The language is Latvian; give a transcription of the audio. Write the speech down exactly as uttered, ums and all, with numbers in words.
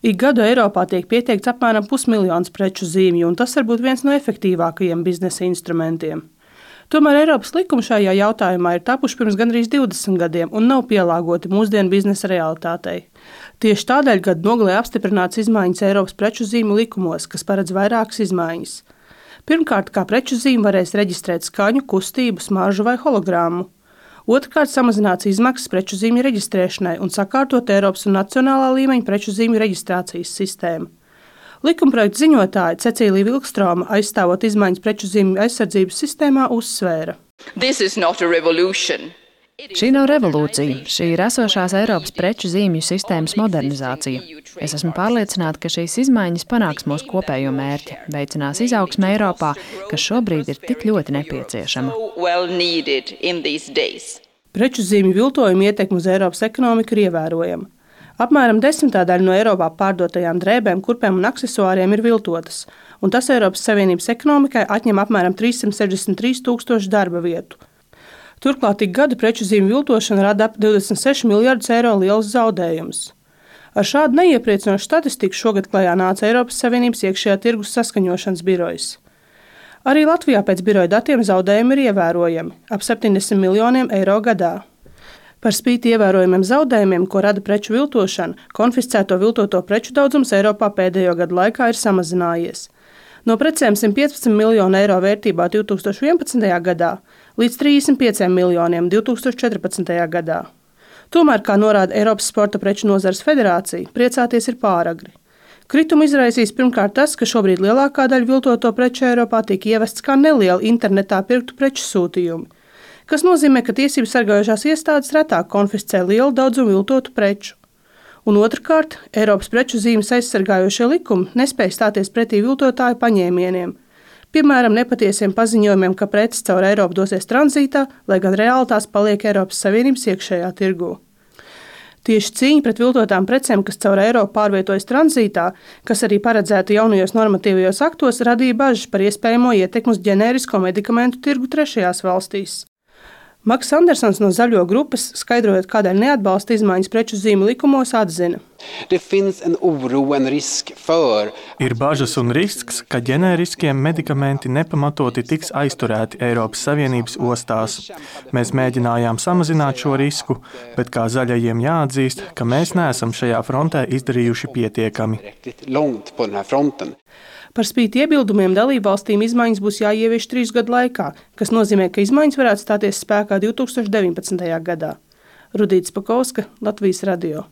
Ik gadu Eiropā tiek pieteikts apmēram pusmiljons preču zīmju, un tas var būt viens no efektīvākajiem biznesa instrumentiem. Tomēr Eiropas likumi šajā jautājumā ir tapuši pirms gandrīz divdesmit gadiem un nav pielāgoti mūsdienu biznesa realitātei. Tieši tādēļ gada nogalē apstiprināts izmaiņas Eiropas preču zīmju likumos, kas paredz vairākas izmaiņas. Pirmkārt, kā preču zīmi varēs reģistrēt skaņu, kustību, smaržu vai hologrammu. Otrkārt, samazināts izmaksas preču zīmju reģistrēšanai un sakārtot Eiropas un nacionālā līmeņa preču zīmju reģistrācijas sistēmu. Likumprojekta ziņotāja Cecīlija Vilkstroma, aizstāvot izmaiņas preču zīmju aizsardzības sistēmā, uzsvēra. Šī nav revolūcija, šī ir esošās Eiropas preču zīmju sistēmas modernizācija. Es esmu pārliecināta, ka šīs izmaiņas panāks mūsu kopējo mērķi, veicinās izaugsmi Eiropā, kas šobrīd ir tik ļoti nepieciešama. Preču zīmju viltojuma ietekme uz Eiropas ekonomiku ir ievērojama. Apmēram desmitā daļa no Eiropā pārdotajām drēbēm, kurpēm un aksesuāriem ir viltotas, un tas Eiropas Savienības ekonomikai atņem apmēram trīssimt sešdesmit trīs tūkstoši darba vietu. Turklāt ik gadu preču zīmju viltošana rada ap divdesmit seši miljardus eiro liels zaudējumus. Ar šādu neiepriecinošu statistiku šogad klajā nāca Eiropas Savienības iekšējā tirgus saskaņošanas birojas. Arī Latvijā pēc biroja datiem zaudējumi ir ievērojami – ap septiņdesmit miljoniem eiro gadā. Par spīti ievērojamiem zaudējumiem, ko rada preču viltošana, konfiscēto viltoto preču daudzums Eiropā pēdējo gadu laikā ir samazinājies. No precēm simt piecpadsmit miljonu eiro vērtībā divē tūkstoši vienpadsmitajā gadā līdz trīsdesmit pieciem miljoniem divē tūkstoši četrpadsmitajā gadā. Tomēr, kā norāda Eiropas Sporta preču nozares federācija, priecāties ir pāragri. Kritumu izraisīs pirmkārt tas, ka šobrīd lielākā daļa viltoto preču Eiropā tiek ievests kā nelieli internetā pirktu preču sūtījumi, kas nozīmē, ka tiesību sargājošās iestādes retāk konfiscē lielu daudzumu viltotu preču. Un otrkārt, Eiropas preču zīmes aizsargājošie likumi nespēj stāties pretī viltotāju paņēmieniem. Piemēram, nepatiesiem paziņojumiem, ka preces caur Eiropu dosies tranzītā, lai gan reāli tās paliek Eiropas Savienības iekšējā tirgū. Tieši cīņa pret viltotām precēm, kas caur Eiropu pārvietojas tranzītā, kas arī paredzēta jaunajos normatīvajos aktos, radīja bažas par iespējamo ietekmi uz ģenērisko medikamentu tirgu trešajās valstīs. Maks Andersons no Zaļo grupas, skaidrojot, kādēļ neatbalsta izmaiņas preču zīmju likumos, atzina. Ir bažas un risks, ka ģenēriskie medikamenti nepamatoti tiks aizturēti Eiropas Savienības ostās. Mēs mēģinājām samazināt šo risku, bet kā zaļajiem jāatzīst, ka mēs neesam šajā frontē izdarījuši pietiekami. Par spīti iebildumiem dalībvalstīm izmaiņas būs jāievieš trīs gadu laikā, kas nozīmē, ka izmaiņas varētu stāties spēkā divē tūkstoši deviņpadsmitajā gadā. Rudīta Spakovska, Latvijas radio.